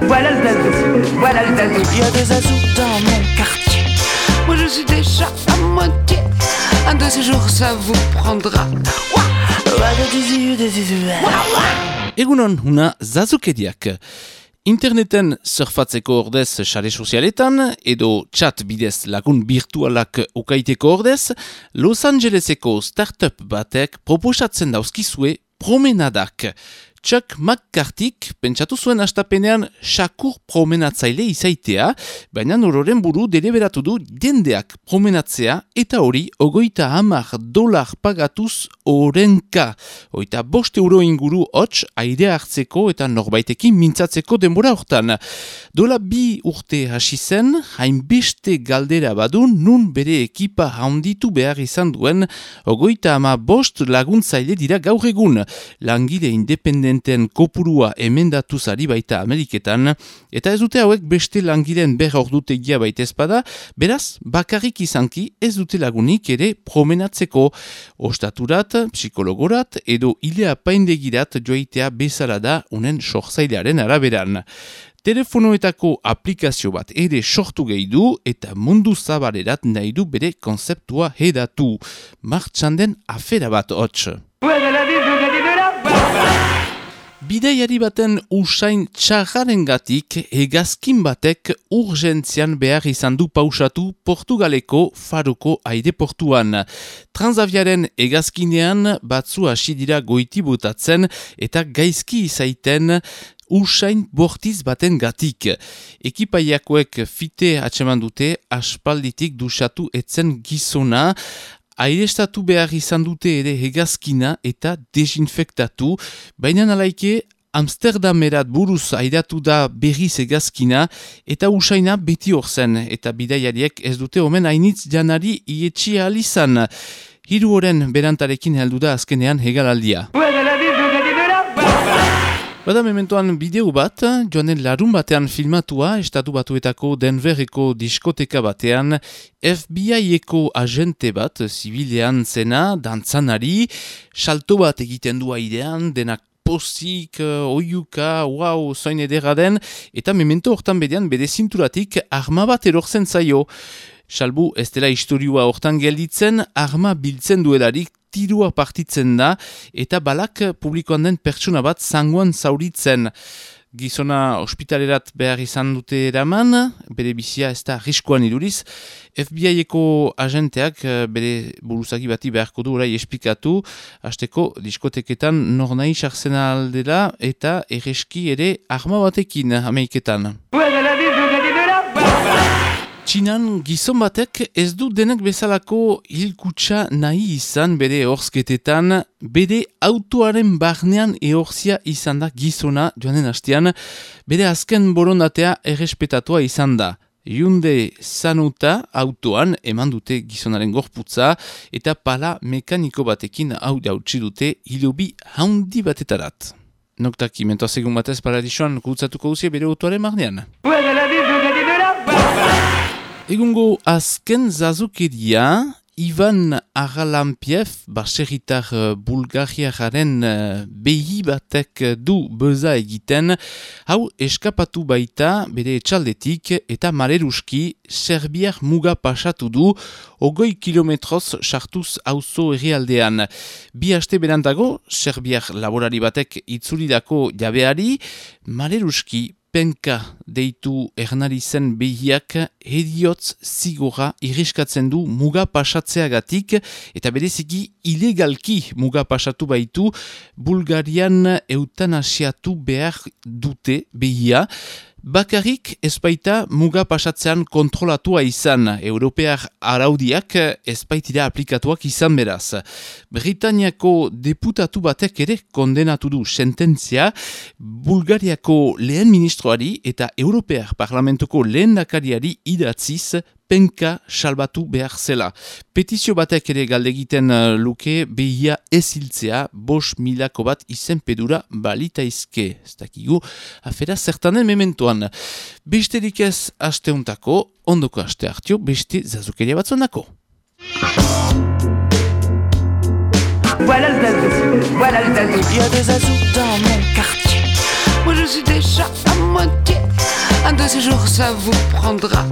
Voilà le zazou, voilà le zazou. Il y a des zazous dans mon quartier. Moi je suis déjà à moitié. Un de ces jours ça vous prendra. Egunon, una zazukeriak. Interneten surfatzeko ordez sare sozialetan edo chat bidez lagun virtualak ukaiteko ordez, Los Angeleseko startup batek proposatzen dauzkizue promenadak. Chuck McCarthyk pentsatu zuen hastapenean sakur promenatzaile izaitea, baina ororen buru deliberatu du jendeak promenatzea eta hori $50 pagatuz orenka. €5 inguru hots aire hartzeko eta norbaitekin mintzatzeko denbora hortan. Dola 2 urte hasi zen, hainbeste galdera badu nun bere ekipa handitu behar izan duen $55 laguntzaile dira gaur egun. Langile independenten kopurua emendatuzari baita Ameriketan, eta ez dute hauek beste langileen ordutegia baita ezpada, beraz, bakarrik izanki ez dute lagunik ere promenatzeko. Ostaturat, psikologorat edo ile apaindegirat joaitea bezala da unen sortzailearen araberan. Telefonoetako aplikazio bat ere sortu gehi du eta mundu zabalerat nahi du bere konzeptua hedatu. Martxan den afera bat hots. Bidaiari baten usain txarrarengatik hegazkin batek urgentzian behar izan du pausatu Portugaleko Faroko aireportuan. Transaviaren hegazkinean batzu hasi dira goiti botatzen eta gaizki izaiten usain bortiz baten gatik. Ekipaiakoek fite atseman dute aspalditik dusatu etzen gizona, airestatu behar izan dute ere hegazkina eta desinfektatu, baina nalaike Amsterdamerat buruz airatu da berriz hegazkina eta usaina beti hor zen, eta bidaiariek ez dute omen hainitz janari ietxia alizan. 3 oren berantarekin heldu da azkenean hegalaldia. Bada mementoan bideo bat, joanen larun batean filmatua, Estatu Batuetako Denverreko diskoteka batean, FBI-eko agente bat, zibilean zena, dantzanari, salto bat egiten du airean, denak pozik, oiuka, wow, zoin edera den, eta memento hortan bedean bere zinturatik arma bat erortzen zaio. Salbu ez dela historiua hortan gelditzen, arma biltzen duelarik, tirua partitzen da eta balak publikoan den pertsona bat zangoan zauritzen. Gizona ospitalerat behar izan dute eraman, bere bizia ez da riskoan iduriz. FBI-eko agenteak bere buruzagi bati beharko du orai esplikatu, hasteko diskoteketan nor nahi sartzen aldera eta erreski ere arma batekin Ameriketan. Txinan gizon batek ez du denak bezalako hilkutsa nahi izan bere ehorzketetan, bere autoaren barnean ehorzia izan da gizona joanen hastean, bere azken borondatea errespetatua izan da. Hyundai Sanuta autoan eman dute gizonaren gorputza eta pala mekaniko batekin hau jautsi dute hilobi haundi batetarat. Noktaki mentoaz egun batez paradisuan gutzatuko duzie bere autoaren barnean. Egungo azken zazukeria, Ivan Aralampiev, baserritar bulgariaren behi batek du beza egiten, hau eskapatu baita bere etxaldetik eta maleruski Serbiar muga pasatu du 20 kilometroz sartuz auzo herrialdean. 2 aste berantago, Serbiar laborari batek itzulidako jabeari, maleruski Penka deitu ernari zen behiak heriotz zigora irriskatzen du muga pasatzeagatik eta bereziki ilegalki muga pasatu baitu Bulgarian eutanasiatu behar dute behia. Bakarrik ezpaita muga pasatzean kontrolatua izan, Europear araudiak ezpaitira aplikatuak izan beraz. Britaniako deputatu batek ere kondenatu du sententzia, Bulgariako lehen ministroari eta Europear parlamentuko lehen dakariari idatziz Penka salbatu behar zela. Petizio batek ere galdegiten luke behia eziltzea 5.000 bat izenpedura balitaizke. Ez dakigu, afera zertanen mementoan. Besterik ez asteuntako, ondoko aste hartio, beste zazukeria batzonako. Voilà le zazou, voilà le zazou. Il y a des zazous dans mon quartier. Moi je suis déjà à moitié. Un de ces jours ça vous prendra.